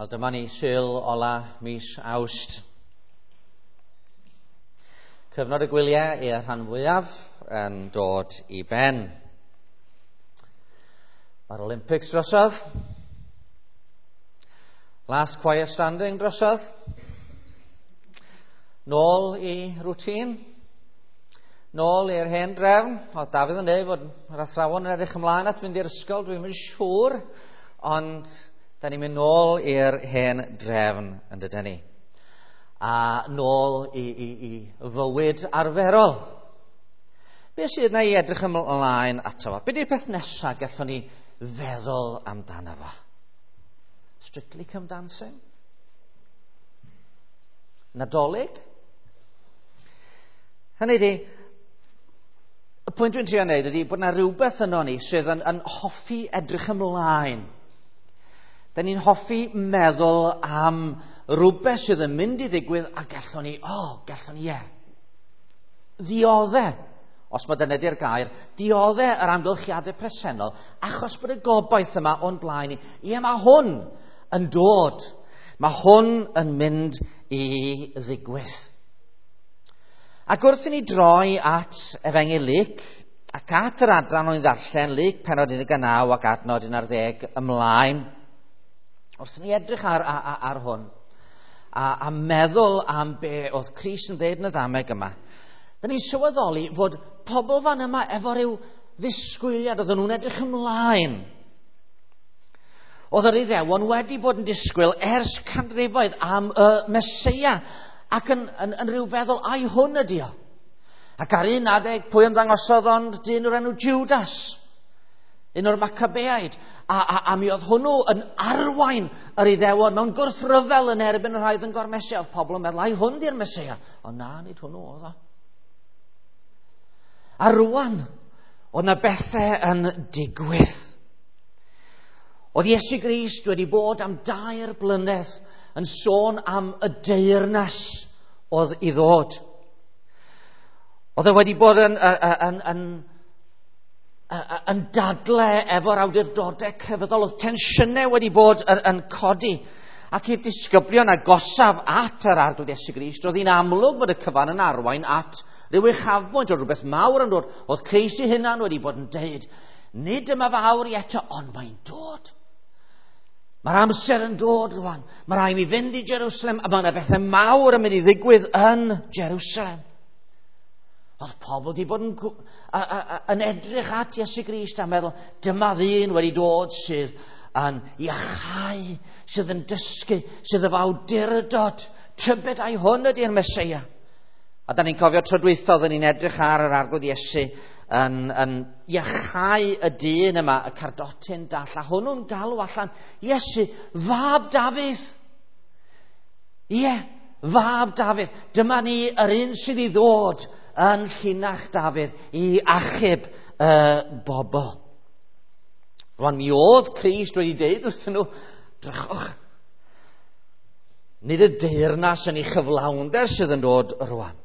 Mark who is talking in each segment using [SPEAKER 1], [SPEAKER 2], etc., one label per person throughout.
[SPEAKER 1] Wel, dyma ni Sul ola mis Awst. Cyfnod y gwyliau i'r rhan fwyaf yn dod i ben. Mae'r Olympics drosodd. Last Quiet Standing drosodd. Nôl i rwtîn. Nôl i'r hen drefn. Oedd Dafydd yn dweud fod yr athrawon yn edrych ymlaen at fynd i'r ysgol, dwi'n yn siŵr, ond da ni'n mynd nôl i'r hen drefn yn dydyn ni. A nôl i fywyd arferol. Be sydd yna i edrych ymlaen ato fo? Be di'r peth nesaf gallwn ni feddwl amdano fo? Strictly Come Dancing? Nadolig? Hynny ydi, y pwynt dwi'n trio wneud ydy bod yna rhywbeth yno ni sydd yn hoffi edrych ymlaen. Da ni'n hoffi meddwl am rhywbeth sydd yn mynd i ddigwydd a gallwn ni, gallwn ni, ie. Ddiodde, os mae dyna di'r gair, diodde yr amgylchiadau presennol, achos bod y gobaith yma o'n blaen ni. Ie, mae hwn yn dod. Mae hwn yn mynd i ddigwydd. Ac wrth i ni droi at Efengyl Luc, ac at yr adran o'n i ddarllen, Luc pennod 19 ac adnod 11 ymlaen, wrth i ni edrych ar hwn a meddwl am be oedd Crist yn dweud yn y ddameg yma, da ni'n sylweddoli fod pobl fan yma efo rhyw ddisgwyliad, oedden nhw'n edrych ymlaen. Oedd yr Iddewon wedi bod yn disgwyl ers canrifoedd am y Meseia ac yn rhyw feddwl, ai hwn ydi o? Ac ar un adeg, pwy ymddangosodd ond dyn o'r enw Judas, un o'r Macabeaid, a mi oedd hwnnw yn arwain yr Iddewon mewn gwrthryfel yn erbyn y rhai oedd yn gormesu. Oedd pobl yn meddwl, ai hwn di'r Meseia? Ond na, nid hwnnw oedd o. A rwan, oedd na bethau yn digwydd. Oedd Iesu Grist wedi bod am 2 blynedd yn sôn am y deyrnas oedd i ddod. Oedd e wedi bod yn dadle efo'r awdurdodau crefyddol. Oedd tensiynau wedi bod yn codi. Ac i'r disgyblion agosaf at yr Arglwydd Iesu Grist, oedd hi'n amlwg bod y cyfan yn arwain at ryw uchafbwynt o rhywbeth mawr yn dod. Oedd Crist ei hunan wedi bod yn deud, nid yma fawr i eto, ond mae'n dod. Mae'r amser yn dod rwan. Mae rhaid mi fynd i Jerusalem, a mae yna bethau mawr yn mynd i ddigwydd yn Jerusalem. Oedd pobl wedi bod yn edrych at Iesu Grist a meddwl, dyma ddyn wedi dod sydd yn iachau, sydd yn dysgu, sydd efo awdurdod. Tybed ai hwn ydy'r Meseia. A da ni'n cofio tro dwytha oedden ni'n edrych ar yr Arglwydd Iesu yn iachau y dyn yma, y cardotyn dall, a hwnnw'n galw allan, Iesu, fab Dafydd. Ie, fab Dafydd. Dyma ni yr un sydd i ddod yn llinach Dafydd i achub y bobl. Rwan mi oedd Crist wedi deud wrthyn nhw, drychwch, nid y deyrnas yn ei chyflawnder sydd yn dod rwan.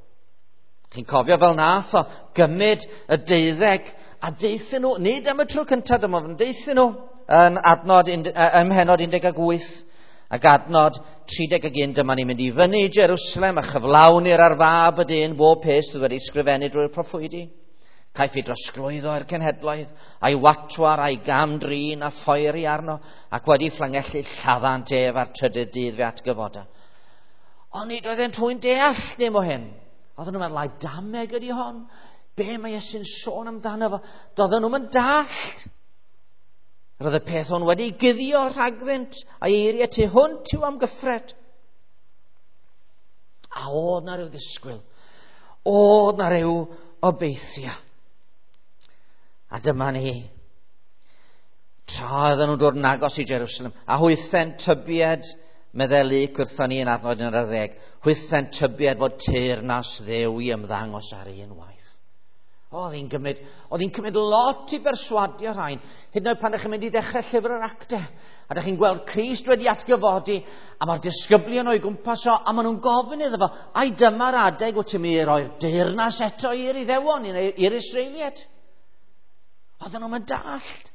[SPEAKER 1] Chi'n cofio fel nath o gymryd y 12 a deuthyn nhw, nid am y tro cyntaf dyma, ond deuthyn nhw yn adnod ym mhennod 18 ac adnod 31, dyma ni'n mynd i fyny i Jerusalem a chyflawnir ar fab y dyn bob peth sydd wedi ysgrifennu drwy'r proffwydi. Caiff ei drosglwyddo i'r cenhedloedd, a'i watwar, a'i gam-drin a phoeri arno, ac wedi fflangellu lladdant ef a'r trydydd dydd fe atgyfoda. Ond nid oedden nhw'n deall dim o hyn. Oedden nhw'n meddwl, ai dameg ydi hon? Be mae Iesu'n sôn amdano fo? Doedden nhw'n mynd dallt. Roedd y peth hwn wedi guddio rhagddynt, a'i eiriau tu hwnt i'w amgyffred. A oedd na ryw ddisgwyl. Oedd na ryw obeithio. A dyma ni. Tra oedden nhw'n dod yn agos i Jerusalem, a hwythau'n tybied, meddai Luc wrthon ni yn adnod 11, hwythau'n tybied fod teyrnas Dduw i ymddangos ar un waith. Oedd hi'n cymryd lot i berswadio rhain. Hyd yn oed pan ydych chi'n mynd i ddechrau llyfr yr Actau, a ydych chi'n gweld Crist wedi atgyfodi, a mae'r disgyblion o'i gwmpas o, a maen nhw'n gofyn iddo fo, ai dyma'r adeg wyt ti'n mynd i roi'r deyrnas eto i'r Iddewon, i'r Israeliaid? Oedden nhw'n mynd dallt.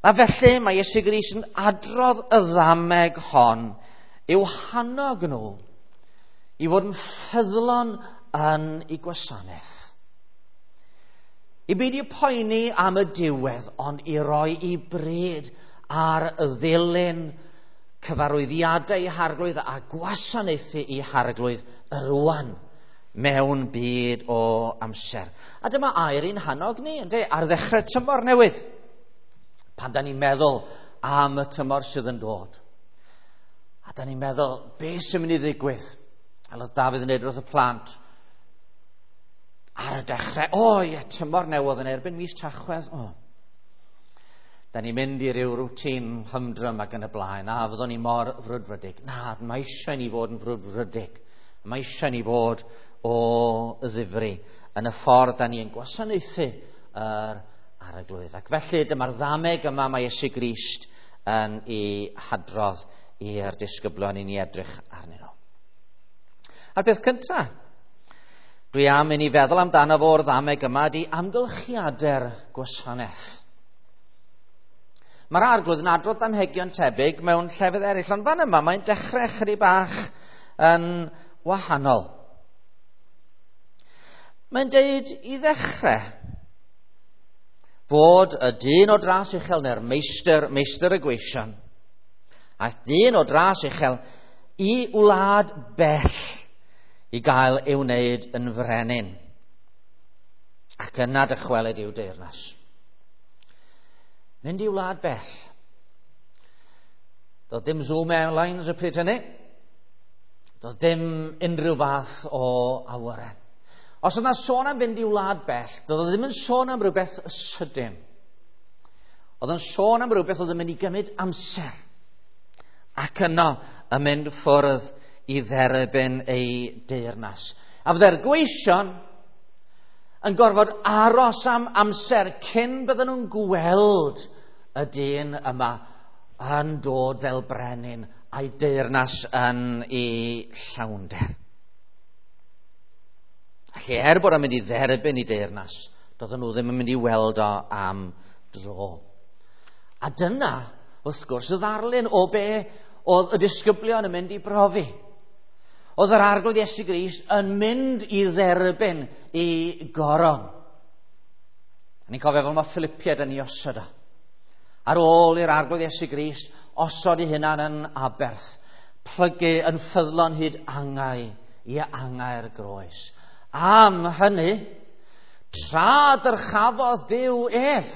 [SPEAKER 1] A felly mae Iesu Grist yn adrodd y ddameg hon i'w hannog nhw i fod yn ffyddlon yn ei gwasanaeth. I beidio poeni am y diwedd, ond i roi i bryd ar y ddilyn cyfarwyddiadau i Harglwydd a gwasanaethu i Harglwydd rwan mewn byd o amser. A dyma air i'n hannog ni, ynde, ar ddechrau tymor newydd. Pan da ni'n meddwl am y tymor sydd yn dod. A da ni'n meddwl, be sy'n mynd i ddigwydd? A oedd Dafydd yn dweud wrth y plant, ar y dechrau, o ie, tymor newydd yn erbyn mis Tachwedd, o. Da ni'n mynd i ryw rwtîn hymdrym ac yn y blaen, a fyddwn ni mor frwdfrydig. Na, mae eisiau ni fod yn frwdfrydig. Mae eisiau ni fod o ddifri yn y ffordd da ni yn gwasanaethu yr Arglwydd. Ac felly dyma'r ddameg yma mae Iesu Grist yn ei hadrodd i'r disgyblion i ni edrych arnyn nhw. A'r peth cyntaf, dwi am i ni feddwl amdano fo'r ddameg yma ydy amgylchiadau'r gwasanaeth. Mae'r Arglwydd yn adrodd damhegion tebyg mewn llefydd eraill, ond fan yma mae'n dechrau chydig bach yn wahanol. Mae'n deud i ddechrau fod y dyn o dras uchel neu'r meistr, meistr y gweision, aeth dyn o dras uchel i wlad bell i gael ei wneud yn frenin, ac yna dychwelyd i'w deyrnas. Mynd i wlad bell. Doedd dim Zoom Airlines y pryd hynny. Doedd dim unrhyw fath o awyren. Os oedd yna sôn am fynd i wlad bell, doedd o ddim yn sôn am rhywbeth sydyn. Oedd yn sôn am rhywbeth oedd yn mynd i gymryd amser. Ac yno yn mynd ffwrdd i dderbyn ei deyrnas. A fydde'r gweision yn gorfod aros am amser cyn bydden nhw'n gweld y dyn yma yn dod fel brenin a'i deyrnas yn ei llawnder. Felly er bod o'n mynd i dderbyn ei deyrnas, doedden nhw ddim yn mynd i weld o am dro. A dyna, wrth gwrs, y ddarlun o be oedd y disgyblion yn mynd i brofi. Oedd yr Arglwydd Iesu Grist yn mynd i dderbyn ei goron. A ni'n cofio fel mae Philippiaid yn ei osod o. Ar ôl i'r Arglwydd Iesu Grist osod ei hunan yn aberth, plygu yn ffyddlon hyd angau i angau'r groes. Am hynny, tra dyrchafodd Duw ef.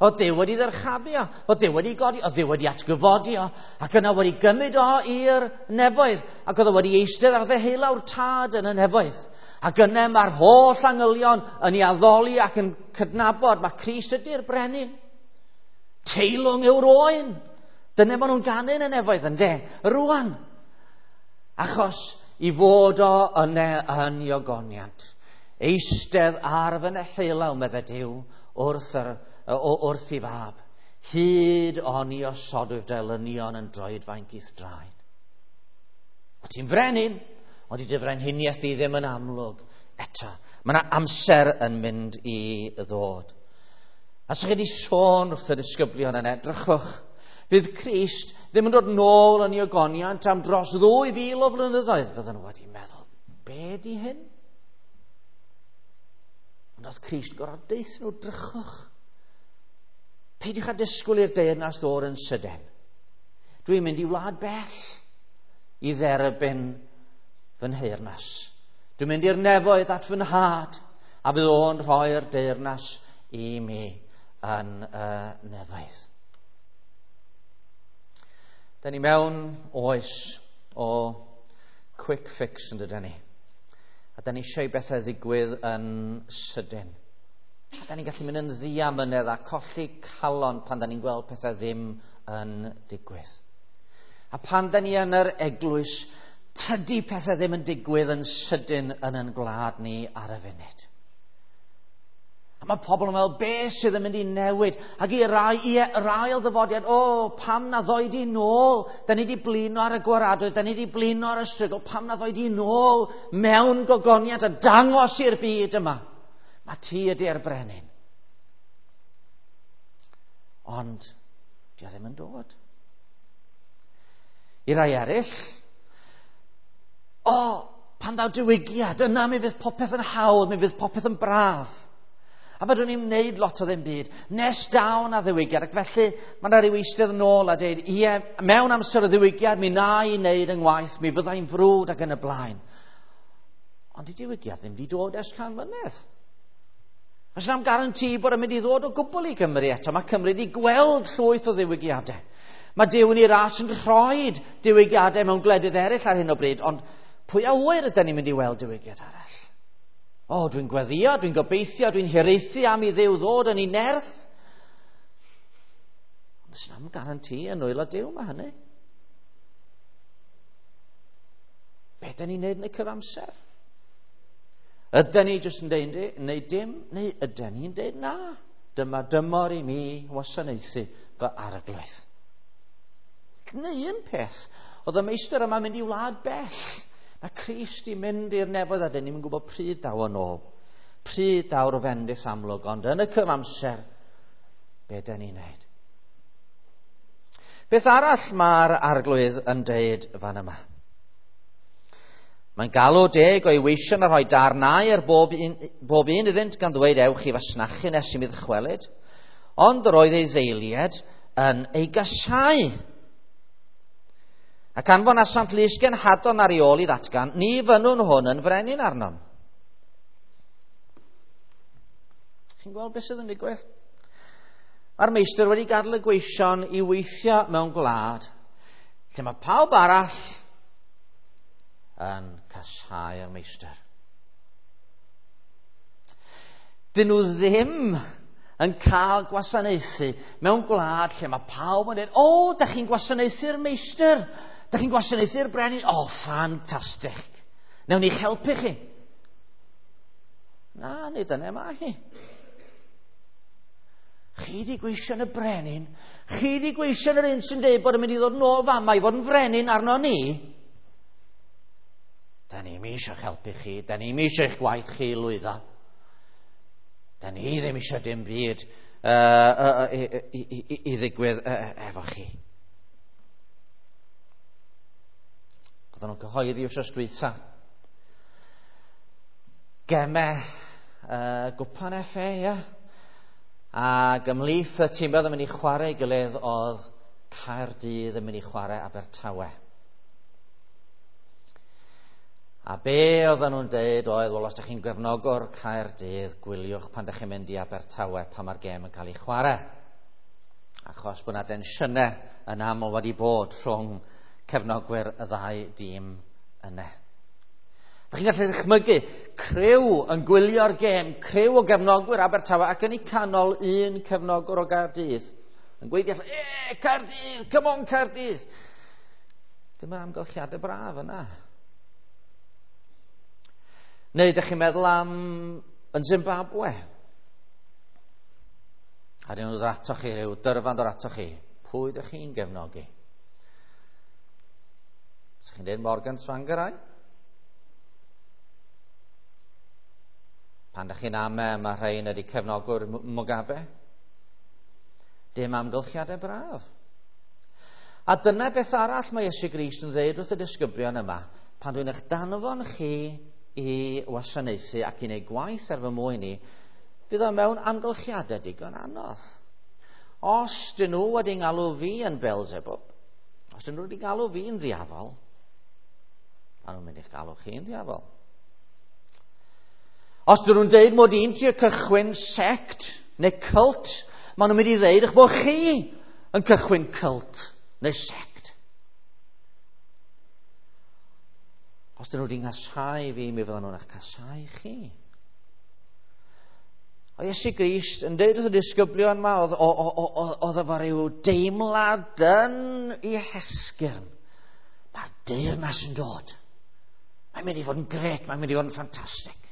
[SPEAKER 1] Oedd Duw wedi ddyrchafu o, oedd Duw wedi godi, oedd Duw wedi atgyfodi o, ac yna wedi gymryd o i'r nefoedd, ac oedd o wedi eistedd ar ddeheulaw'r Tad yn y nefoedd. Ac yna mae'r holl angylion yn ei addoli ac yn cydnabod mae Crist ydy'r brenin. Teilwng yw'r oen. Dyna maen nhw'n ganu yn y nefoedd, ynde? Rwan. Achos i fod o yna yn ei ogoniant. Eistedd ar fy neheulaw, medde Duw, wrth i fab, hyd oni osodwyf dy elynion yn droedfainc i'th draed. O ti'n frenin, ond i dy frenhiniaeth di ddim yn amlwg eto. Mae yna amser yn mynd i ddod. A sa'ch chi wedi sôn wrth y disgyblion yna, edrychwch, fydd Crist ddim yn dod nôl yn ei ogoniant am dros 2000 o flynyddoedd, fydden nhw wedi meddwl, be di hyn? Ond oedd Crist yn gorfod deutha nhw, drychwch. Peidiwch â disgwyl i'r deyrnas ddod yn sydyn. Dwi'n mynd i wlad bell i dderbyn fy nheyrnas. Dwi'n mynd i'r nefoedd at fy nhad, a fydd o'n rhoi'r deyrnas i mi yn y nefoedd. Da ni mewn oes o quick fix yn dydyn ni. A da ni eisiau i bethau ddigwydd yn sydyn. A da ni'n gallu mynd yn ddiamynedd a colli calon pan da ni'n gweld pethau ddim yn digwydd. A pan da ni yn yr eglwys, tydi pethau ddim yn digwydd yn sydyn yn ein gwlad ni ar y funud. A mae pobl yn meddwl, be sydd yn mynd i newid? Ac i rai, i ail ddyfodiad, o, pam na ddoi di nôl? Da ni di blino ar y gwaradwydd, da ni di blino ar y strygl, pam na ddoi di nôl mewn gogoniant a dangos i'r byd yma? Mae ti ydy'r brenin. Ond, di o ddim yn dod. I rai eraill, o, pan ddaw diwygiad, yna mi fydd popeth yn hawdd, mi fydd popeth yn braf. A fedrwn ni'n wneud lot o ddim byd, nes daw na ddiwygiad. Ac felly, mae yna ryw eistedd yn ôl a dweud, ie, mewn amser o ddiwygiad, mi na i wneud yng ngwaith, mi fyddai'n frwd ac yn y blaen. Ond di diwygiad ddim wedi dod ers 100 mlynedd. Oes na'm garanti bod yn mynd i ddod o gwbl i Gymru eto. Mae Cymru wedi gweld llwyth o ddiwygiadau. Mae Duw yn ei ras yn rhoi diwygiadau mewn gwledydd eraill ar hyn o bryd, ond pwy a ŵyr ydyn ni'n mynd i weld diwygiad arall? O, dwi'n gweddio, dwi'n gobeithio, dwi'n hiraethu am i Dduw ddod yn ei nerth. Ond oes na'm garanti yn nwylo Duw mae hynny. Be dyn ni'n neud yn y cyfamser? Ydyn ni jyst yn deud neu dim, neu ydyn ni'n deud na? Dyma dymor i mi wasanaethu fy arglwydd. Neu un peth, oedd y meistr yma'n mynd i wlad bell. Mae Crist i mynd i'r nefoedd a dyn ni'n gwybod pryd daw yn ôl. Pryd daw'r fendith amlwg, ond yn y cyfamser, be dyn ni'n neud? Beth arall mae'r arglwydd yn deud fan yma? Mae'n galw 10 o'i weision a rhoi darnau ar bob un iddynt gan ddweud ewch i fasnachu nes i mi ddychwelyd. Ond yr oedd ei ddeiliad yn ei gasau. Ac anfonasant lysgenhadon ar ei ôl i ddatgan, ni fynnwn hwn yn frenin arnom. Chi'n gweld beth sydd yn digwydd? Mae'r meistr wedi gadael y gweision i weithio mewn gwlad lle mae pawb arall yn casáu'r meistr. Dyn nhw ddim yn cael gwasanaethu mewn gwlad lle mae pawb yn dweud, o, da chi'n gwasanaethu'r meistr, da chi'n gwasanaethu'r brenin, o, ffantastig. Newn ni'ch helpu chi. Na, nid yna mae hi. Chi di gweision y brenin, chi di gweision yr un sy'n dweud bod yn mynd i ddod nôl fama i fod yn frenin arno ni. Da ni'm eisiau helpu chi, da ni'm eisiau eich gwaith chi lwyddo. Da ni ddim eisiau dim byd i ddigwydd efo chi. Oedden nhw'n cyhoeddi wsos dwytha. Gemau Gwpan FA, ia. Ac ymhlith y tîmoedd yn mynd i chwarae ei gilydd oedd Caerdydd yn mynd i chwarae Abertawe. A be oedden nhw'n deud oedd, wel, os ydych chi'n gefnogwr Caerdydd, gwyliwch pan ydych chi'n mynd i Abertawe pan mae'r gêm yn cael ei chwarae. Achos bod yna densiynau yn aml wedi bod rhwng cefnogwyr y ddau dîm yna. Ydych chi'n gallu dychmygu criw yn gwylio'r gêm, criw o gefnogwyr Abertawe ac yn eu canol un cefnogwr o Gaerdydd yn gweiddi allan, e, Caerdydd, come on Caerdydd! Dim yr amgylchiadau braf yna. Neu ydych chi'n meddwl am yn Zimbabwe? A dyn nhw'n dod atoch chi, rhyw dyrfan dod atoch chi. Pwy ydych chi'n gefnogi? Ydych chi'n dweud Morgan Tsvangirai? Pan ydych chi'n ame, mae rhain ydy cefnogwr Mugabe. Dim amgylchiadau braf. A dyna beth arall mae Iesu Grist yn dweud wrth y disgyblion yma. Pan dwi'n eich danfon chi i wasanaethu ac i wneud gwaith ar fy mwyn i, fydd o mewn amgylchiadau digon anodd. Os dyn nhw wedi galw fi yn Beelzebub, os dyn nhw wedi galw fi'n ddiafol, maen nhw'n mynd i'ch galw chi'n ddiafol. Os dyn nhw'n deud mod i'n trio cychwyn sect neu cult, maen nhw'n mynd i ddeud eich bod chi yn cychwyn cult neu sect. Os dyn nhw wedi nghasau fi, mi fyddan nhw'n eich casau chi. O Iesu Grist yn deud wrth y disgyblion yma, oedd efo rhyw deimlad yn ei hesgyrn. Mae'r deyrnas yn dod. Mae'n mynd i fod yn gret, mae'n mynd i fod yn ffantastig.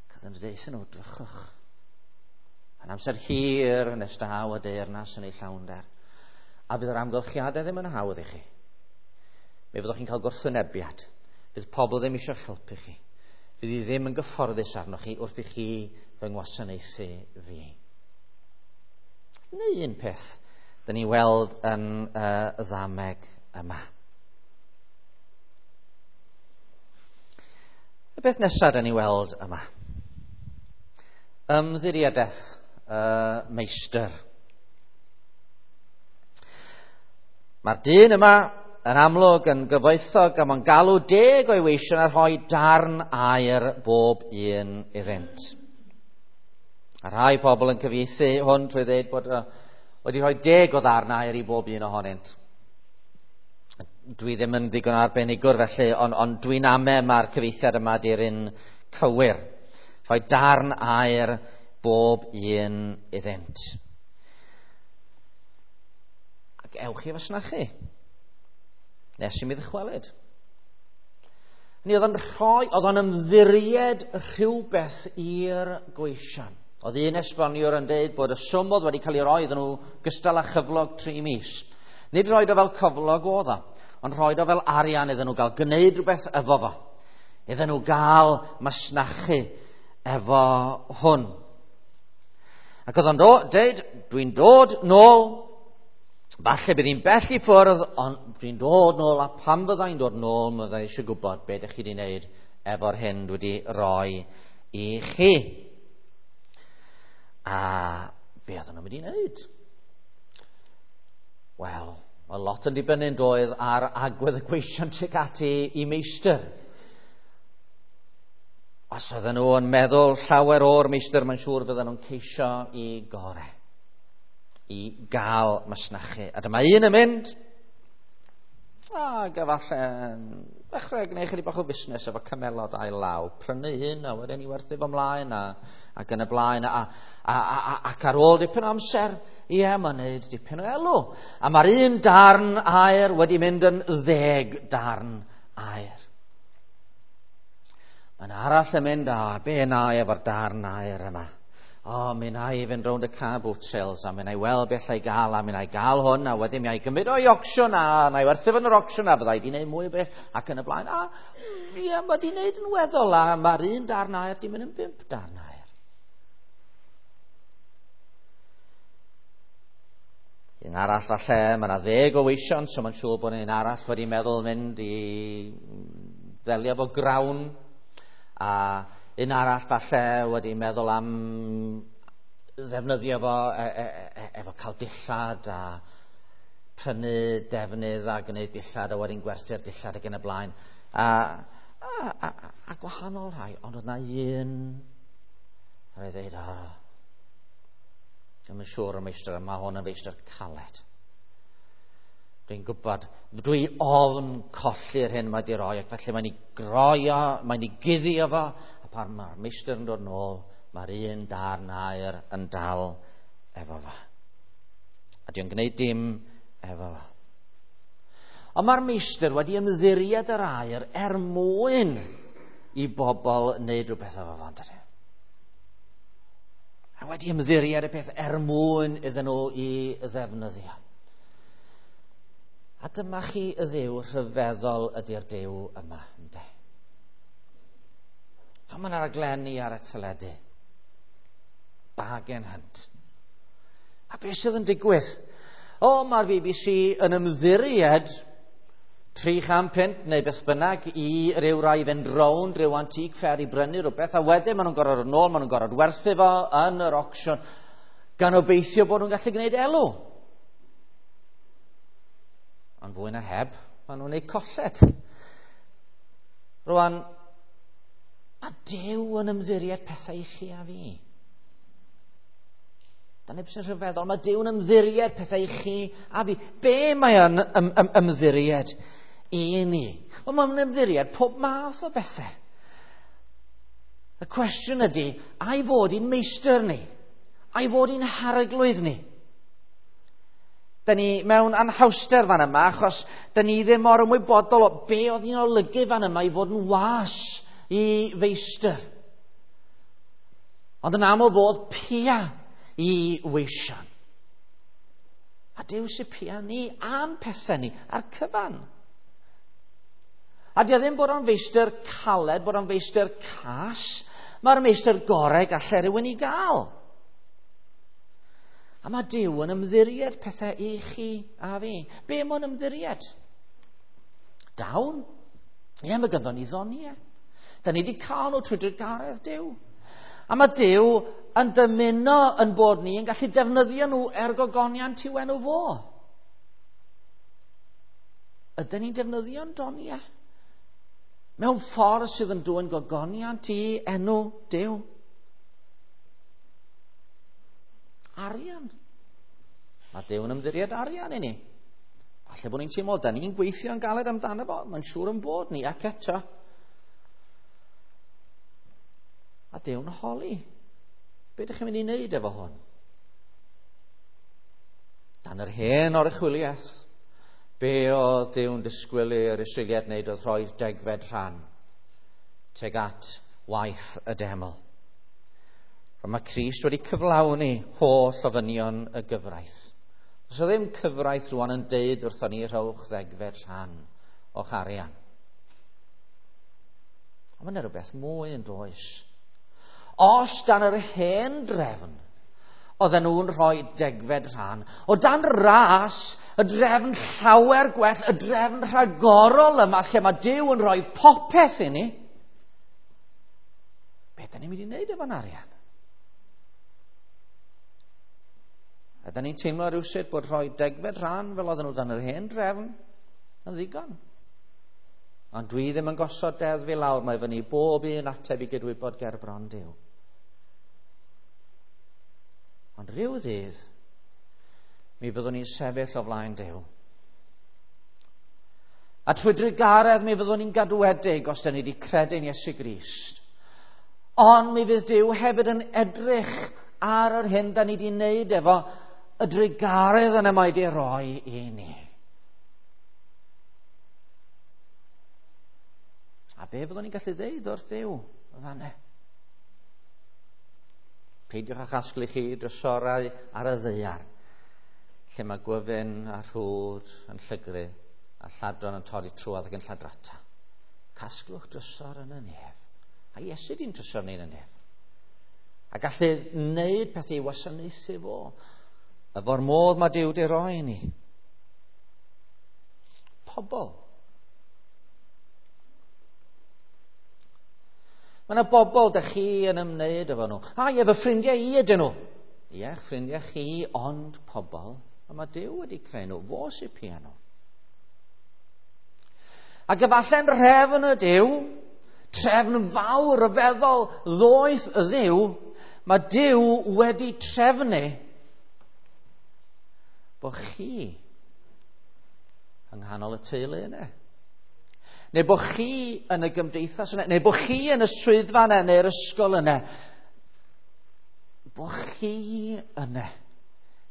[SPEAKER 1] Ac oedd yn dweud nhw, drychwch. Yn amser hir nes daw y deyrnas yn ei llawnder. A fydd yr amgylchiadau ddim yn hawdd i chi. Mi fyddwch chi'n cael gwrthwynebiad. Fydd pobl ddim eisiau helpu chi. Fydd hi ddim yn gyfforddus arnoch chi wrth i chi fy ngwasanaethu fi. Neu un peth dyn ni weld yn y ddameg yma. Y beth nesaf dyn ni weld yma. Ymddiriedaeth y meistr. Mae'r dyn yma yn amlwg yn gyfoethog a mae'n galw 10 o'i weision a rhoi darn aur bob un iddynt. A rhai pobl yn cyfieithu hwn trwy ddweud bod wedi rhoi 10 o ddarn aur i bob un ohonynt. Dwi ddim yn ddigon arbenigwr felly, ond dwi'n ame mae'r cyfieithiad yma di'r un cywir. Rhoi darn aur bob un iddynt. Ac ewch i fasnachu nes i mi ddychwelyd. Ni oedd o'n rhoi, oedd o'n ymddiried rhywbeth i'r gweision. Oedd un esboniwr yn dweud bod y swm oedd wedi cael ei roi iddyn nhw gystal â chyflog 3 mis. Nid roed o fel cyflog oedd o, ond rhoed o fel arian iddyn nhw gael gwneud rhywbeth efo fo. Iddyn nhw gael masnachu efo hwn. Ac oedd o'n dweud, dwi'n dod nôl, falle bydd hi'n bell i ffwrdd, ond dwi'n dod nôl, a pan fyddai'n dod nôl, mi fyddai eisiau gwybod beth ydych chi wedi wneud efo'r hyn dwi wedi roi i chi. A be oedden nhw'n mynd i wneud? Wel, mae lot yn dibynnu doedd ar agwedd y gweision tuag ati i meistr. Os oedden nhw yn meddwl llawer o'r meistr, mae'n siŵr fydden nhw'n ceisio i gore, i gael masnachu. A dyma un yn mynd, ac efallai ddechrau gwneud chydig bach o busnes efo camelod ail law, prynu un a wedyn i werthu fo mlaen ac yn y blaen, ac ar ôl dipyn o amser, ie, mae'n gwneud dipyn o elw. A mae'r un darn aur wedi mynd yn 10 darn aur. Mae'n arall yn mynd, a be na i efo'r darn aur yma? O, mi na i fynd rownd y car boot sales, a mi na i weld beth allai gael, a mi na i gael hwn, a wedyn mi na i gymryd o'i auction, a na i werthu fo yn yr auction, a fydda i wedi gwneud mwy o beth, ac yn y blaen. A ie, mae wedi gwneud yn weddol, a mae'r un darn aur di mynd yn 5 darn aur. Un arall falle, mae yna 10 o weision, so mae'n siŵr bod un arall wedi meddwl mynd i ddelio efo grawn, a un arall falle wedi meddwl am ddefnyddio fo efo cael dillad a prynu defnydd a gwneud dillad a wedyn gwerthu'r dillad ac yn y blaen. A gwahanol rhai, ond oedd na un rhaid dweud, ddim yn siŵr y meistr, mae hwn yn feistr caled. Dwi'n gwybod, dwi ofn colli'r hyn mae di roi, ac felly mae'n ei groio, mae'n ei guddio fo, a pan mae'r meistr yn dod nôl, mae'r un darn aur yn dal efo fo. A di'n gwneud dim efo fo. Ond mae'r meistr wedi ymddiried yr aur er mwyn i bobl wneud rhywbeth efo fo, yndydi? A wedi ymddiried y peth er mwyn iddyn nhw i ddefnyddio. A dyma chi y Dduw rhyfeddol ydy'r Duw yma, ynde? Pan mae'n raglenni ar y teledu, Bargain Hunt. A beth sydd yn digwydd? O, mae'r BBC yn ymddiried 300 punt neu beth bynnag i ryw rai fynd rownd rhyw antique fair i brynu rhywbeth, a wedyn maen nhw'n gorfod nôl, maen nhw'n gorfod werthu fo yn yr auction, gan obeithio bod nhw'n gallu gwneud elw. Ond fwy na heb, maen nhw'n gwneud colled. Rwan, mae Duw yn ymddiried pethau i chi a fi. Dyna beth sy'n rhyfeddol. Mae Duw yn ymddiried pethau i chi a fi. Be mae yn ymddiried i ni? Wel, mae'n ymddiried pob math o bethau. Y cwestiwn ydy, a'i fod i'n meistr ni? A'i fod i'n harglwydd ni? Da ni mewn anhawster fan yma, achos da ni ddim mor ymwybodol o be oedd hi'n olygu fan yma i fod yn was i feistr. Ond yn aml fod pia i weision. A Duw sy'n pia ni a'n pethau ni, a'r cyfan. A di o ddim bod o'n feistr caled, bod o'n feistr cas, mae'r meistr gorau gallai rhywun i gael. A mae Duw yn ymddiried pethau i chi a fi. Be mae'n ymddiried? Dawn. Ie, mae ganddo ni ddoniau. Da ni wedi cael nhw trwy drugaredd Duw. A mae Duw yn dymuno yn bod ni yn gallu defnyddio nhw er gogoniant i'w enw fo. Ydyn ni'n defnyddio'n doniau? Mewn ffordd sydd yn dwyn gogoniant i enw Duw. Arian. Mae Duw yn ymddiried arian i ni. Falle bod ni'n teimlo, da ni'n gweithio'n galed amdano fo, mae'n siŵr yn bod ni, ac eto. A Duw'n holi. Be ydych chi'n mynd i wneud efo hwn? Dan yr hen oruchwyliaeth, be oedd Duw'n disgwyl i'r Israeliaid wneud oedd rhoi'r degfed rhan tuag at waith y deml. Ond mae Crist wedi cyflawni holl ofynion y gyfraith. Does o ddim cyfraith rwan yn deud wrthon ni rhowch ddegfed rhan o'ch arian. Ond mae yna rhywbeth mwy yn does. Os dan yr hen drefn, oedden nhw'n rhoi degfed rhan, o dan ras, y drefn llawer gwell, y drefn rhagorol yma, lle mae Duw yn rhoi popeth i ni, be da ni'n mynd i wneud efo'n arian? Ydy ni'n teimlo rhywsut bod rhoi degfed rhan fel oedden nhw dan yr hen drefn yn ddigon? Ond dwi ddim yn gosod deddf i lawr, mae fyny bob un ateb i gydwybod ger bron Duw. Ond rhyw ddydd, mi fyddwn ni'n sefyll o flaen Duw. A trwy drugaredd mi fyddwn ni'n gadwedig os da ni wedi credu'n Iesu Grist. Ond mi fydd Duw hefyd yn edrych ar yr hyn da ni wedi wneud efo y drugaredd yna mae wedi roi i ni. A be fyddwn ni'n gallu ddeud wrth Dduw fanne? Peidiwch â chasglu chi drysorau ar y ddaear, lle mae gwyfyn a rhwd yn llygru a lladron yn torri trwodd ac yn lladrata. Casglwch drysor yn y nef. A Iesu di'n trysor ni yn y nef. A gallu wneud pethau i wasanaethu fo. Efo'r modd mae Duw wedi roi i ni. Pobl. Mae yna bobl da chi yn ymwneud efo nhw. A ie, fy ffrindiau i ydyn nhw. Ie, ffrindiau chi, ond pobl. A mae Duw wedi creu nhw. Fo sy'n pia nhw. Ac efallai'n rhefn y Duw, trefn fawr ryfeddol ddoeth y Dduw, mae Duw wedi trefnu bod chi yng nghanol y teulu yna. Neu bod chi yn y gymdeithas yna, neu bod chi yn y swyddfa yna, neu'r ysgol yna. Bod chi yna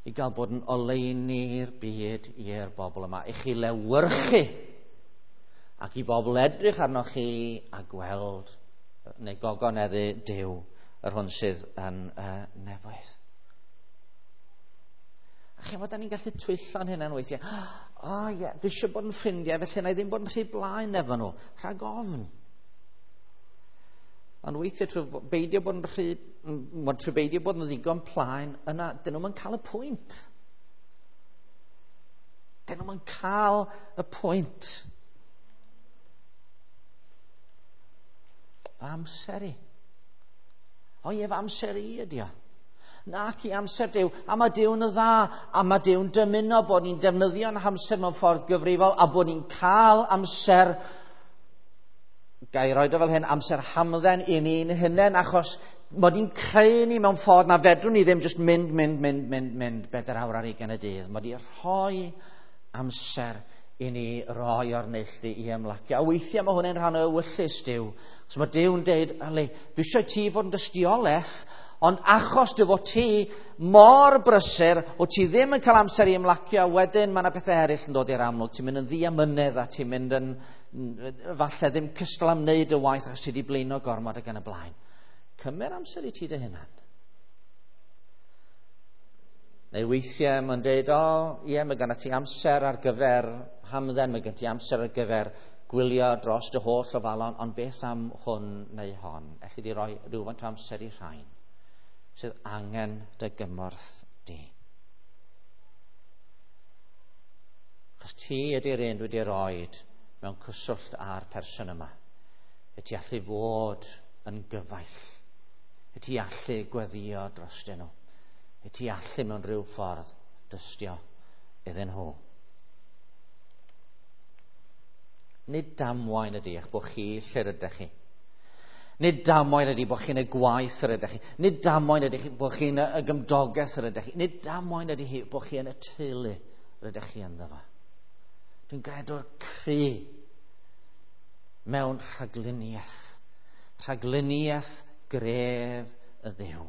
[SPEAKER 1] i gael bod yn oleuni'r byd i'r bobl yma, i chi lewyrchu ac i bobl edrych arnoch chi a gweld neu gogoneddu Duw, yr hwn sydd yn y nefoedd. A chi'n bod, da ni'n gallu twyllo'n hynna'n weithiau. O oh, ie, dwi eisiau bod yn ffrindiau, felly na i ddim bod yn rhy blaen efo nhw, rhag ofn. Ond weithiau trwy beidio bod yn rhy, trwy beidio bod yn ddigon plaen, yna, dyn nhw'n cael y pwynt. Dyn nhw'n cael y pwynt. Fy amser i. O ie, fy amser i ydi o. Nac i amser Duw. A mae Duw'n dda, a mae Duw'n dymuno bod ni'n defnyddio'n hamser mewn ffordd gyfrifol, a bod ni'n cael amser, ga i roed o fel hyn, amser hamdden i ni'n hunain, achos mod i'n creu ni mewn ffordd na fedrwn ni ddim just mynd, mynd, mynd, mynd, mynd, 4 awr ar 20 y dydd. Mod i'n rhoi amser i ni roi o'r neilltu i ymlacio. A weithiau mae hwnna'n rhan o ewyllys Duw. So mae Duw'n deud, Ali, dwi eisiau ti fod yn dystiolaeth, ond achos dy fod ti mor brysur, o ti ddim yn cael amser i ymlacio, wedyn mae yna pethau eraill yn dod i'r amlwg. Ti'n mynd yn ddiamynedd a ti'n mynd yn, falle ddim cystal am wneud y waith achos ti wedi blino gormod ac yn y blaen. Cymer amser i ti dy hunan. Neu weithiau mae'n deud, o, ie, mae gen ti amser ar gyfer hamdden, mae gen ti amser ar gyfer gwylio dros dy holl ofalon, ond beth am hwn neu hon? Elli di roi rhywfaint o amser i rhain sydd angen dy gymorth di. Achos ti ydy'r un dwi wedi roed mewn cyswllt â'r person yma. Y ti allu fod yn gyfaill. Y ti allu gweddio drostyn nhw. Y ti allu mewn rhyw ffordd dystio iddyn nhw. Nid damwain ydy eich bod chi lle rydych chi. Nid damwain ydy bod chi'n y gwaith yr ydych chi. Nid damwain ydy bod chi'n y gymdogaeth yr ydych chi. Nid damwain ydy hi bod chi yn y teulu yr ydych chi ynddo fo. Dwi'n gredwr cry mewn rhagluniaeth. Rhagluniaeth gref y Dduw.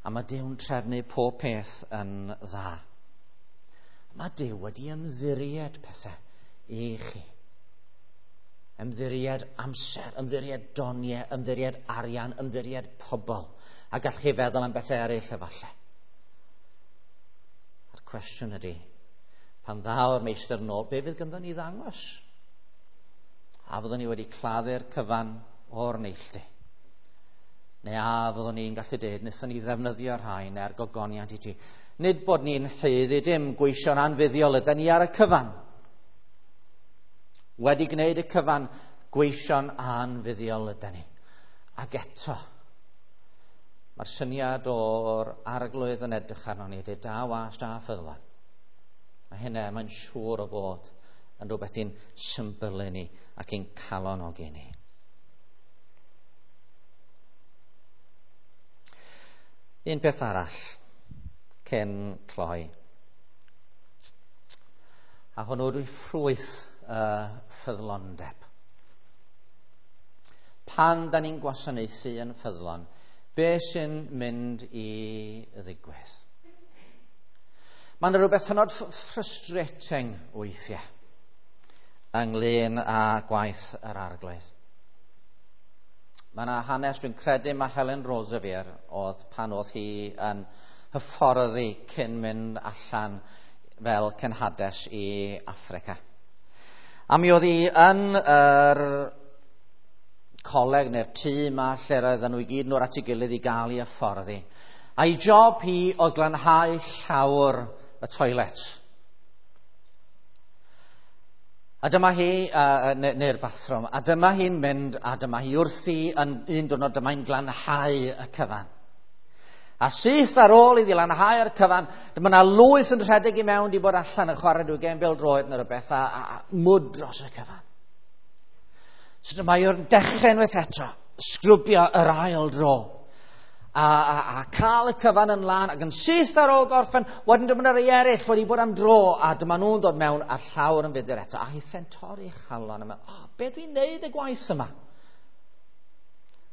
[SPEAKER 1] A mae Duw'n trefnu pob peth yn dda. Mae Duw wedi ymddiried pethau i chi. Ymddiried amser, ymddiried doniau, ymddiried arian, ymddiried pobl. A gallwch chi feddwl am bethau eraill efallai. A'r cwestiwn ydy, pan ddaw'r meistr nôl, be fydd ganddo ni ddangos? A fyddwn ni wedi claddu'r cyfan o'r neilltu? Neu a fyddwn ni'n gallu dweud, wnaethon ni ddefnyddio rhain er gogoniant i ti? Nid bod ni'n haeddu dim, gweision anfuddiol ydy ni ar y cyfan. Wedi gwneud y cyfan, gweision anfuddiol ydy ni. Ac eto, mae'r syniad o'r arglwydd yn edrych arno ni, dweud, da was, da ffyddlon. Mae hynna, mae'n siŵr o fod yn rhywbeth i'n symbylu ni ac i'n calonogi ni. Un peth arall cyn cloi. A hwnnw dwi ffrwyth y ffyddlondeb. Pan da ni'n gwasanaethu yn ffyddlon, be sy'n mynd i ddigwydd? Mae yna rhywbeth hynod frustrating weithiau ynglyn â gwaith yr arglwydd. Mae yna hanes, dwi'n credu mae Helen Roseveare oedd pan oedd hi yn hyfforddi cyn mynd allan fel cenhades i Affrica. A mi oedd hi yn yr coleg neu'r tŷ yma lle roedden nhw i gyd nhw'r at ei gilydd i gael ei hyfforddi. A'i job hi oedd glanhau llawr y toilet. A dyma hi, neu'r bathroom, a dyma hi'n mynd, a dyma hi wrthi yn un diwrnod, dyma hi'n glanhau y cyfan. A syth ar ôl iddi lanhau'r cyfan, dyma na lwyth yn rhedeg i mewn, di bod allan yn chwarae rhyw gêm bêl-droed neu rhywbeth, a mwd dros y cyfan. So dyma hi'n dechrau unwaith eto, sgrwbio yr ail dro. A cael y cyfan yn lan, ac yn syth ar ôl gorffen, wedyn dyma rhai eraill wedi bod am dro, a dyma nhw'n dod mewn a'r llawr yn fudur eto. A hi torri chalon yma, oh, be dwi'n neud y gwaith yma?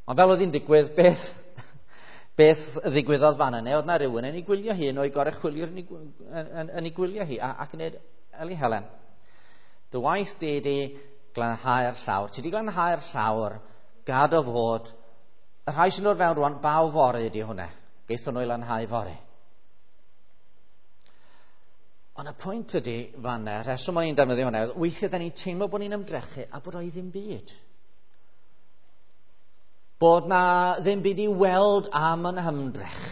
[SPEAKER 1] Ond fel oedd hi'n digwydd, beth ddigwyddodd fan yna, oedd na rhywun yn ei gwylio hi, un o'i goruchwyliwr yn ei gwylio hi, ac yn dweud, Eli Helen, dy waith di di glanhau'r llawr. Ti di glanhau'r llawr, gad o fod. Y rhai sy'n dod fewn rwan, baw fory ydi hwnna. Geithon nhw i lanhau fory. Ond y pwynt ydi fanna, rheswm o'n i'n defnyddio hwnna, weithiau da ni'n teimlo bod ni'n ymdrechu a bod o'i ddim byd. Bod na ddim byd i weld am yn hymdrech.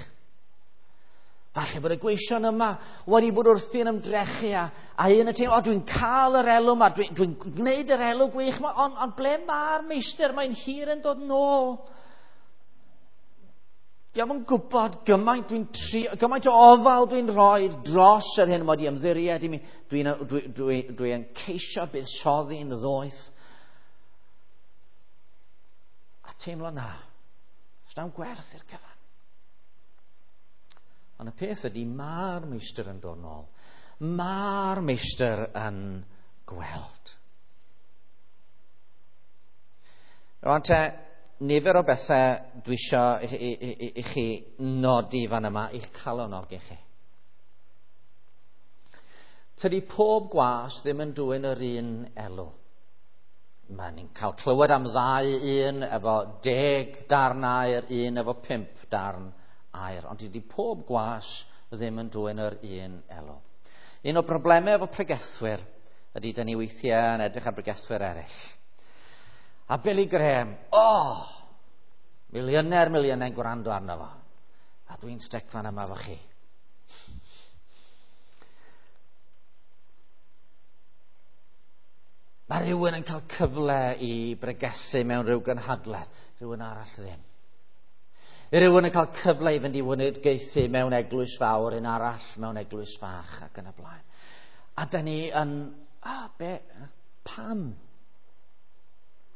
[SPEAKER 1] Falle bod y gweision yma wedi bod wrthi'n ymdrechu a un yn teimlo, o, dwi'n cael yr elw yma, dwi'n gwneud yr elw gwych yma, ond ble mae'r meistr? Mae'n hir yn dod nôl. Dio'm yn gwybod gymaint dwi'n trio, gymaint o ofal dwi'n rhoi dros yr hyn mod i ymddiried i mi. Dwi'n ceisio buddsoddi'n ddoeth. A teimlo na, s'na'm gwerth i'r cyfan. Ond y peth ydy, mae'r meistr yn dod nôl. Mae'r meistr yn gweld. Rwan te, nifer o bethau dwi isio i chi nodi fan yma, i'ch calonogi chi. Tydi pob gwas ddim yn dwyn yr un elw. Mae ni'n cael clywed am ddau, un efo 10 darn aur, un efo 5 darn aur. Ond dydy pob gwas ddim yn dwyn yr un elw. Un o broblemau efo pregethwyr ydy dyn ni weithiau yn edrych ar bregethwyr eraill. A Billy Graham, oh, miliynau'n gwrando arno fo. A dwi'n styc fan yma efo chi. Mae rhywun yn cael cyfle i bregethu mewn rhyw gynhadledd, rhywun arall ddim. Rhywun yn cael cyfle i fynd i weinidogaethu mewn eglwys fawr, un arall mewn eglwys fach ac yn y blaen. A da ni yn, be, pam?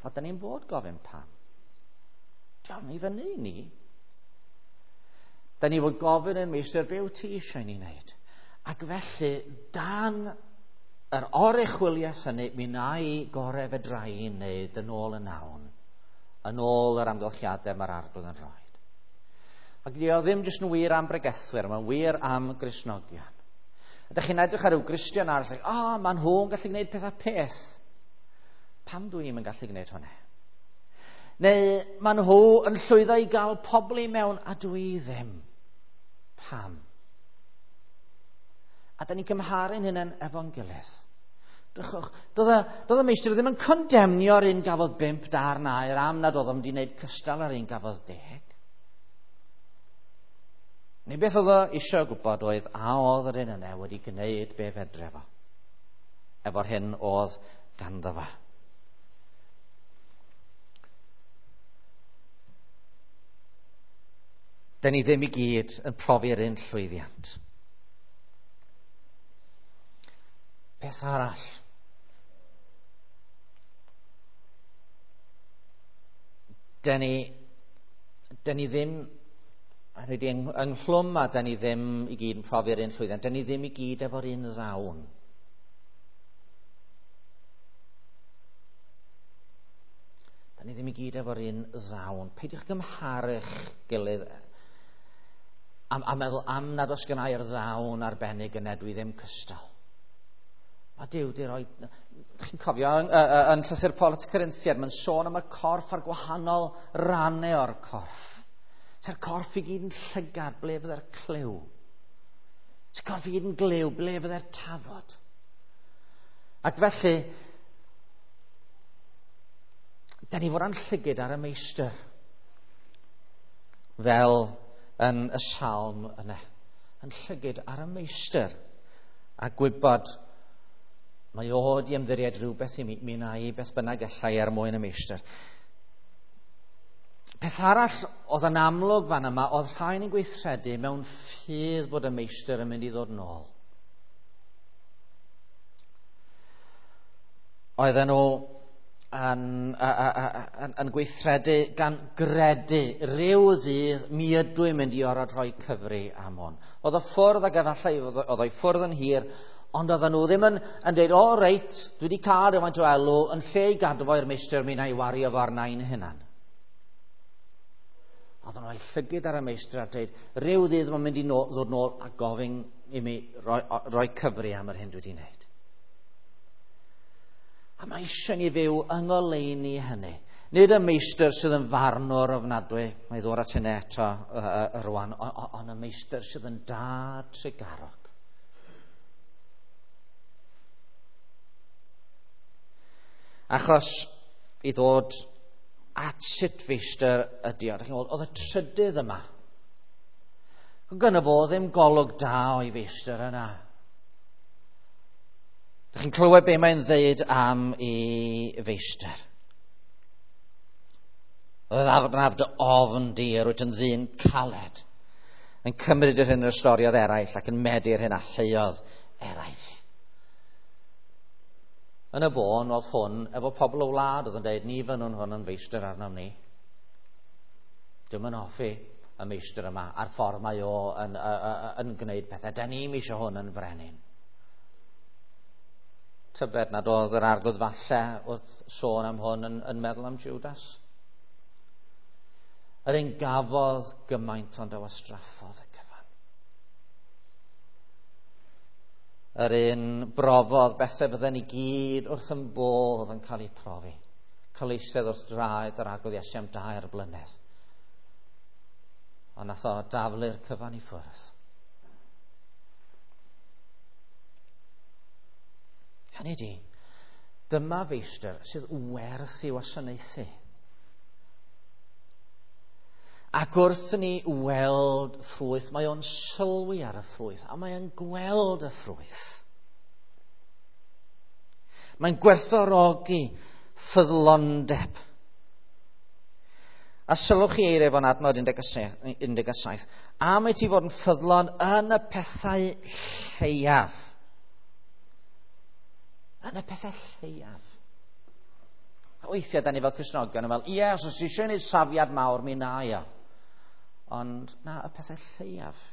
[SPEAKER 1] A da ni'n bod gofyn pam. Diolch i fyny i ni. Da ni fod gofyn yn meistr, be wyt ti eisiau ni wneud? Ac felly, dan yr oruchwyliaeth hynny, mi wna i gorau fedra i wneud yn ôl y nawn, yn ôl yr amgylchiadau mae'r Arglwydd yn rhoi. Ac di o ddim jyst yn wir am bregethwyr, mae'n wir am Gristnogion. Ydych chi'n edrych ar ryw Gristion arall, like, oh, maen nhw'n gallu gwneud pethau peth. Pam dwi ddim yn gallu gwneud hwnna? Neu maen nhw yn llwyddo i gael pobl i mewn a dwi ddim. Pam? A da ni'n cymharu'n hynny'n efo'n gilydd. Drychwch, doedd y meistr ddim yn condemnio'r un gafodd 5 darn aur am nad oedd o'n wedi gwneud cystal ar un gafodd 10. Neu beth oedd o eisiau gwybod oedd a oedd yr un yna wedi gwneud be fedre fo, efo'r hyn oedd ganddo fo. Da ni ddim i gyd yn profi'r un llwyddiant. Peth arall. Da ni ddim ynghlwm a da ni ddim i gyd yn profi'r un llwyddiant. Da ni ddim i gyd efo'r un ddawn. Da ni ddim i gyd efo'r un ddawn. Peidiwch gymharu'ch gilydd a meddwl am nad oes gennai'r ddawn arbennig yna, dwi ddim cystal. Mae Duw di roi... Chi'n cofio yn llythyr Paul at y Corinthiaid, mae'n sôn am y corff a'r gwahanol rannau o'r corff. Sa'r corff i gyd yn llygad, ble fydde'r clyw? Sa'r corff i gyd yn glyw, ble fydde'r tafod? Ac felly, da ni fod â'n llygyd ar y meistr, fel yn y salm yna. Yn llygyd ar y meistr, a gwybod mae o wedi ymddiried rhywbeth i mi, mi wna i beth bynnag allai er mwyn y meistr. Peth arall oedd yn amlwg fan yma, oedd rhain yn gweithredu mewn ffydd bod y meistr yn mynd i ddod nôl. Oedden nhw yn gweithredu gan gredu rhyw ddydd mi ydw i'n mynd i orfod rhoi cyfri am hwn. Oedd y ffwrdd ac efallai oedd o'i ffwrdd yn hir, ond oedden nhw ddim yn dweud, o reit, dwi wedi cael rhywfaint o elw, yn lle i gadw fo i'r meistr, mi wna i wario fo arna i'n hunan. Oedden nhw a'u llygyd ar y meistr a dweud, rhyw ddydd mae'n mynd i ddod nôl a gofyn i mi roi cyfri am yr hyn dwi wedi wneud. A mae eisiau ni fyw yng ngoleuni hynny. Nid y meistr sydd yn farnwr ofnadwy, mae ddod at hynny eto rwan, ond y meistr sydd yn dad trugarog. Achos i ddod at sut feistr ydy o. Oedd y trydydd yma. Gynno fo ddim golwg da o'i feistr yna. Dych chi'n clywed be mae'n ddeud am ei feistr. Oedd arnaf dy ofn di, yr wyt yn ddyn caled, yn cymryd yr hyn yr ystoriodd eraill ac yn medi'r hyn a heuodd eraill. Yn y bôn oedd hwn efo pobl o wlad oedd yn dweud, ni fynnwn hwn yn feistr arnom ni. Dwi'm yn hoffi y meistr yma a'r ffordd mae o yn gwneud pethau. Da ni'm eisiau hwn yn frenin. Tybed nad oedd yr Arglwydd falle wrth sôn am hwn yn meddwl am Judas. Yr un gafodd gymaint ond a wastraffodd y cyfan. Yr un brofodd bethau fydden ni gyd wrth yn bodd yn cael eu profi. Cael eistedd wrth draed yr Arglwydd Iesu am 3 blynedd. Ond nath o daflu'r cyfan i ffwrdd. Hynny di, dyma feistr sydd werth i wasanaethu. Ac wrth ni weld ffrwyth, mae o'n sylwi ar y ffrwyth, a mae o'n gweld y ffrwyth. Mae'n gwerthfawrogi ffyddlondeb. A sylwch chi eiriau fo'n adnod 17. Am i ti fod yn ffyddlon yn y pethau lleiaf. Yn y pethau lleiaf. A weithiau, da ni fel Cristnogion yn fel, ie, os oes eisiau gwneud safiad mawr, mi na i o. Ond na, y pethau lleiaf.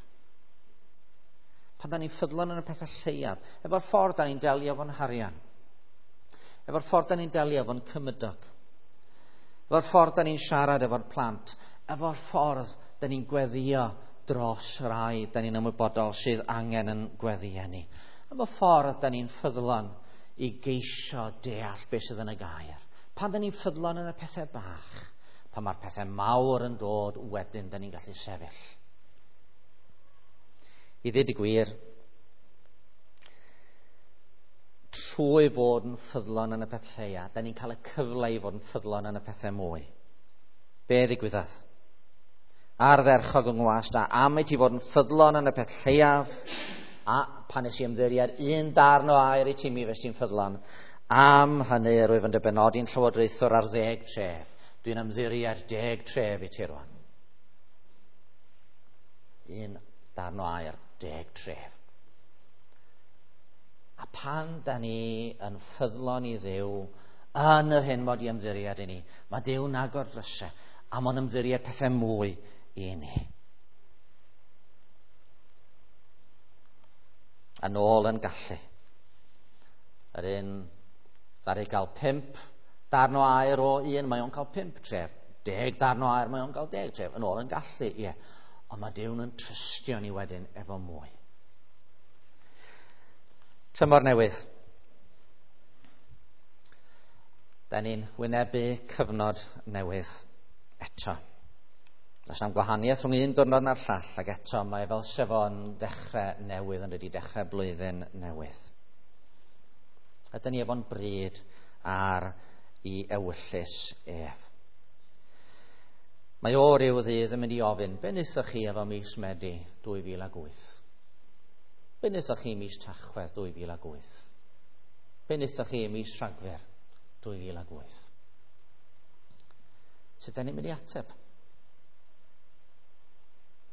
[SPEAKER 1] Pan da ni'n ffyddlon yn y pethau lleiaf, efo'r ffordd da ni'n delio efo'n harian, efo'r ffordd da ni'n delio efo'n cymydog, efo'r ffordd da ni'n siarad efo'r plant, efo'r ffordd da ni'n gweddio dros rai da ni'n ymwybodol sydd angen yn gweddio ni. Efo'r ffordd da ni'n ffyddlon i geisio deall beth sydd yn y gair. Pan da ni'n ffyddlon yn y pethau bach, pan mae'r pethau mawr yn dod, wedyn da ni'n gallu sefyll. I ddweud y gwir, trwy fod yn ffyddlon yn y peth lleia, da ni'n cael y cyfle i fod yn ffyddlon yn y pethau mwy. Be ddigwyddodd? Ardderchog yng ngwas da, am i ti fod yn ffyddlon yn y peth lleiaf, a pan nes i ymddiried un darn o air i ti, mi fes ti'n ffyddlon. Am hynny yr wyf yn dy benodi'n llywodraethwr ar 10 tref. Dwi'n ymddiried 10 tref i ti rwan. Un darn o air, 10 tref. A pan da ni yn ffyddlon i Dduw yn yr hyn mod i ymddiried i ni, mae Duw'n agor drysau a mae'n ymddiried pethau mwy i ni. Yn ôl yn gallu. Yr un ddaru gael 5 darn o air o un, mae o'n cael 5 tref. 10 darn o air, mae o'n cael 10 tref. Yn ôl yn gallu, ie. Ond mae Duw'n yn trystio ni wedyn efo mwy. Tymor newydd. Da ni'n wynebu cyfnod newydd eto. Does na'm gwahaniaeth rhwng un diwrnod na'r llall, ac eto mae fel sef o'n ddechrau newydd yn dydi, dechrau blwyddyn newydd. Ydyn ni efo'n bryd ar i ewyllys ef. Mae o ryw ddydd yn mynd i ofyn, be wnaethoch chi efo mis Medi 2008? Be wnaethoch chi mis Tachwedd 2008? Be wnaethoch chi mis Rhagfyr 2008? Sut da ni'n mynd i ateb?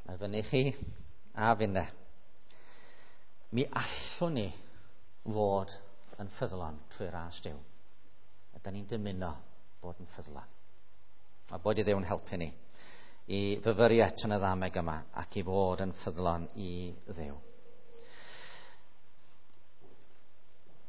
[SPEAKER 1] Mae fyny chi a finne. Mi allwn ni fod yn ffyddlon trwy ras Duw. A da ni'n dymuno bod yn ffyddlon. A bod i Dduw'n helpu ni i fyfyrio eto yn y ddameg yma ac i fod yn ffyddlon i Dduw.